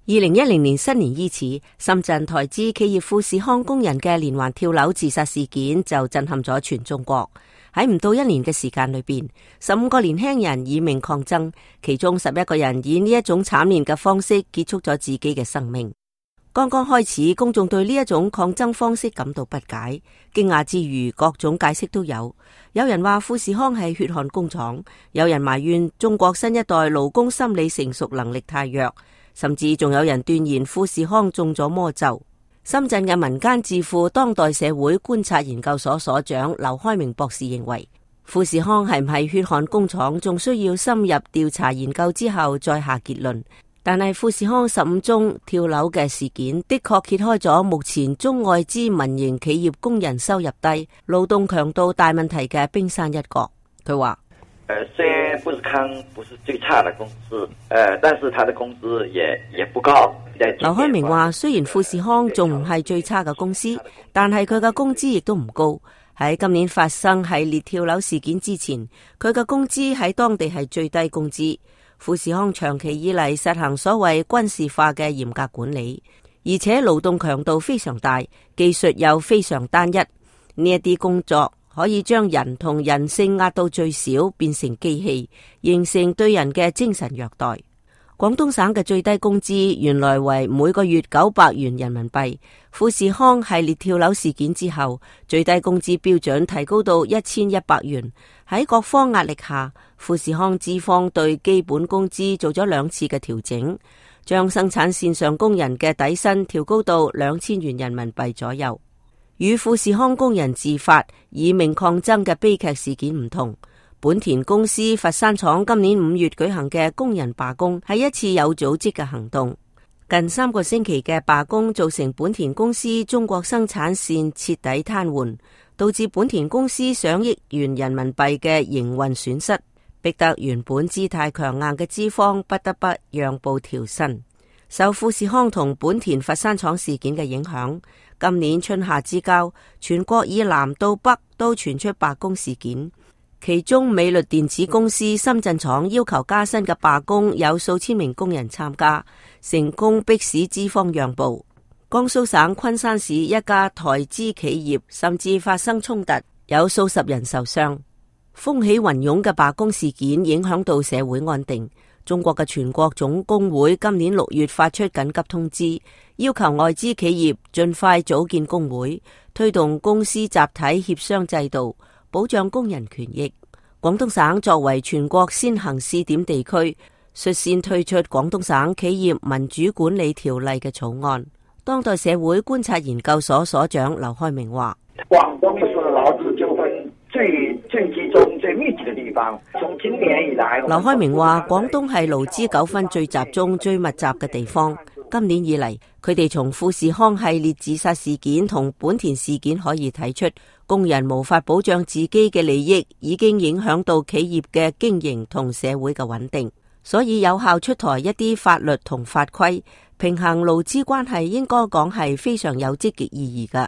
2010年新年伊始，深圳台資企業富士康工人嘅連環跳樓自殺事件就震撼咗全中國。喺唔到1年嘅時間裏邊，15個年輕人以命抗爭，其中11個人以呢一種慘烈嘅方式結束咗自己嘅生命。剛剛開始，公眾對呢一種抗爭方式感到不解，驚訝之餘，各種解釋都有。有人話富士康係血汗工廠，有人埋怨中國新一代勞工心理成熟能力太弱，甚至仲有人斷言富士康中咗魔咒。深圳嘅民間智庫當代社會觀察研究所所長劉開明博士認為，富士康係唔係血汗工廠，仲需要深入調查研究之後再下結論。但係富士康15宗跳樓嘅事件，的確揭開咗目前中外資民營企業工人收入低、勞動強度大問題嘅冰山一角。佢話：雖然富士康不是最差的公司，但是他的工資也不高。劉開明話：雖然富士康仲唔係最差嘅公司，但係佢嘅工資亦都唔高。喺今年發生系列跳樓事件之前，佢嘅工資喺當地係最低工資。富士康長期以嚟實行所謂軍事化嘅嚴格管理，而且勞動強度非常大，技術又非常單一。呢一啲工作可以將人同人性壓到最少，變成機器，形成對人嘅精神虐待。廣東省嘅最低工資原來為每個月900元人民幣，富士康系列跳樓事件之後，最低工資標準提高到1100元。喺各方壓力下，富士康資方對基本工資做咗2次嘅調整，將生產線上工人嘅底薪調高到2000元人民幣左右。與富士康工人自發以命抗爭嘅悲劇事件唔同，本田公司佛山廠今年5月舉行嘅工人罷工係一次有組織嘅行動。近3個星期嘅罷工造成本田公司中國生產線徹底癱瘓，導致本田公司上億元人民幣嘅營運損失，逼得原本姿態強硬嘅資方不得不讓步調薪。受富士康同本田佛山廠事件嘅影響，今年春夏之交，全國以南到北都傳出罷工事件。其中美律電子公司深圳廠要求加薪嘅罷工有數千名工人參加，成功迫使資方讓步。江蘇省昆山市一家台資企業甚至發生衝突，有數十人受傷。風起雲湧嘅罷工事件影響到社會安定。中國嘅全國總工會今年6月發出緊急通知，要求外資企業盡快組建工會，推動公司集體協商制度，保障工人權益。廣東省作為全國先行試點地區，率先推出廣東省企業民主管理條例嘅草案。當代社會觀察研究所所長劉開明話：廣東是勞資糾紛最集中、最密集嘅地方。從今年以來，劉開明話廣東係勞資糾紛最集中、最密集嘅地方。今年以嚟，佢哋從富士康系列自殺事件同本田事件可以睇出，工人無法保障自己嘅利益，已經影響到企業嘅經營同社會嘅穩定。所以有效出台一啲法律同法規，平衡勞資關係，應該講係非常有積極意義嘅。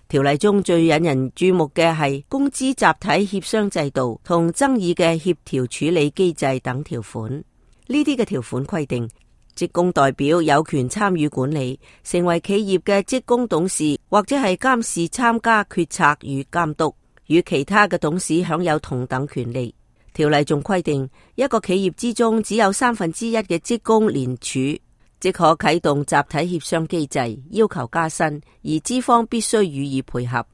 條例中最引人注目嘅係工資集體協商制度同爭議嘅協調處理機制等條款。呢啲嘅條款規定，職工代表有權參與管理，成為企業嘅職工董事，或者係監事參加決策與監督，與其他嘅董事享有同等權利。條例仲規定，一個企業之中只有1/3嘅職工聯署，即可啟動集體協商機制，要求加薪，而資方必須予以配合。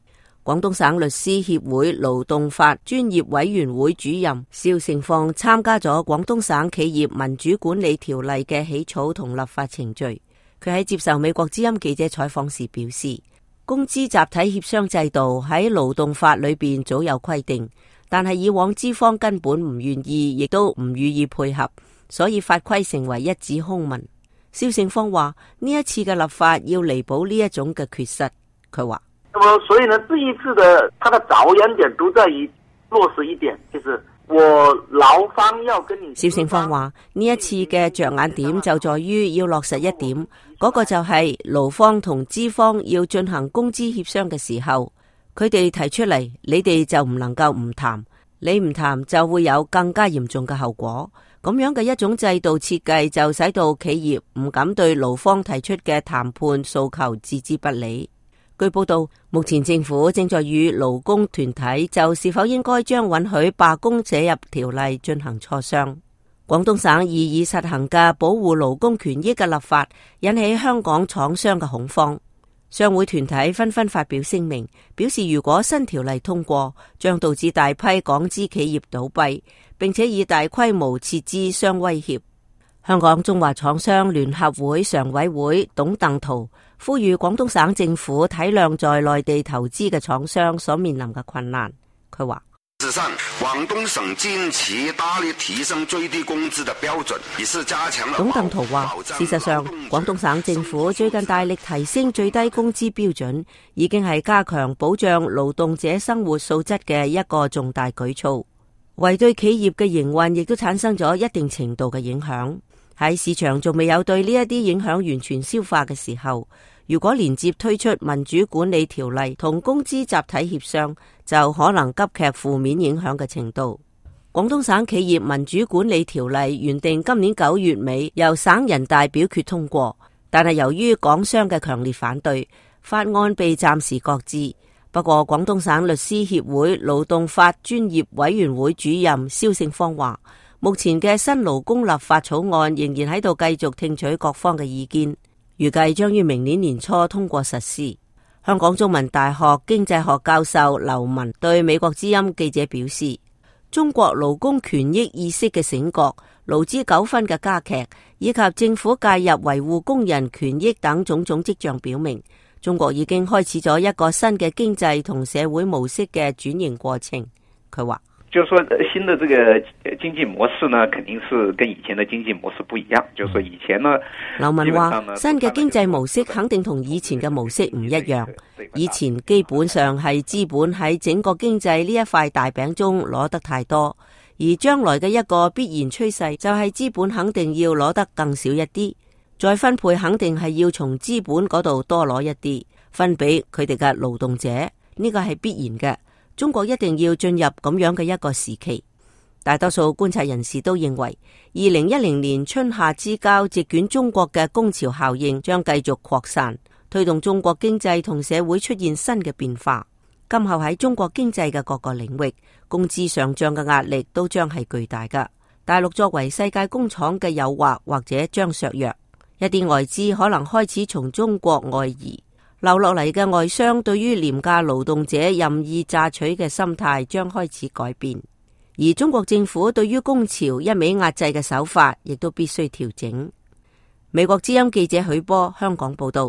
廣東省律師協會勞動法專業委員會主任邵成放參加咗廣東省企業民主管理條例嘅起草同立法程序。佢喺接受美國之音記者採訪時表示，工資集體協商制度喺勞動法裏邊早有規定，但係以往資方根本唔願意，亦都唔予以配合，所以法規成為一紙空文。邵成放話呢一次嘅立法要彌補呢一種嘅缺失。佢話：所以呢，這一次的它的着眼點都在於落實一點，就是我勞方要跟你。邵成放話呢一次嘅着眼點就在於要落實一點，嗰個就係勞方同資方要進行工資協商嘅時候，佢哋提出嚟，你哋就唔能夠唔談，你唔談就會有更加嚴重嘅後果。咁樣嘅一種制度設計就使到企業唔敢對勞方提出嘅談判訴求置之不理。據報道，目前政府正在與勞工團體就是否應該將允許罷工寫入條例進行磋商。廣東省現已實行嘅保護勞工權益嘅立法引起香港廠商嘅恐慌。商會團體紛紛發表聲明，表示如果新條例通過，將導致大批港資企業倒閉，並且以大規模撤資相威脅。香港中華廠商聯合會常委會董鄧濤呼籲廣東省政府體諒在內地投資嘅廠商所面臨嘅困難。佢話：事實上，廣東省近期大力提升最低工資的標準，以是加強了。董鄧濤話：事實上，廣東省政府最近大力提升最低工資標準，已經係加強保障勞動者生活素質嘅一個重大舉措，為對企業嘅營運亦都產生咗一定程度嘅影響。喺市場仲未有對呢一啲影響完全消化嘅時候，如果連接推出民主管理條例同工資集體協商，就可能急劇負面影響嘅程度。廣東省企業民主管理條例原定今年9月尾由省人大表決通過，但係由於港商嘅強烈反對，法案被暫時擱置。不過，廣東省律師協會勞動法專業委員會主任蕭勝芳話，目前嘅新勞工立法草案仍然喺度繼續聽取各方嘅意見，預計將於明年年初通過實施。香港中文大學經濟學教授劉文對美國之音記者表示，中國勞工權益意識嘅醒覺、勞資糾紛嘅加劇，以及政府介入維護工人權益等種種跡象表明，中國已經開始咗一個新嘅經濟同社會模式嘅轉型過程。佢話，就是說新的這個經濟模式呢，肯定是跟以前的經濟模式不一樣。就是說以前呢，劉文話新嘅經濟模式肯定同以前嘅模式唔一樣。以前基本上係資本喺整個經濟呢一塊大餅中攞得太多，而將來嘅一個必然趨勢就係資本肯定要攞得更少一啲，再分配肯定係要從資本嗰度多攞一啲，分俾佢哋嘅勞動者，呢個係必然嘅。中國一定要進入咁樣嘅一個時期。大多數觀察人士都認為，2010年春夏之交席捲中國嘅工潮效應將繼續擴散，推動中國經濟同社會出現新嘅變化。今後喺中國經濟嘅各個領域，工資上漲嘅壓力都將係巨大㗎。大陸作為世界工廠嘅誘惑或者將削弱，一啲外資可能開始從中國外移。留落嚟嘅外商對於廉價勞動者任意榨取嘅心態將開始改變，而中國政府對於工潮一味壓制嘅手法亦都必須調整。美國之音記者許波香港報道。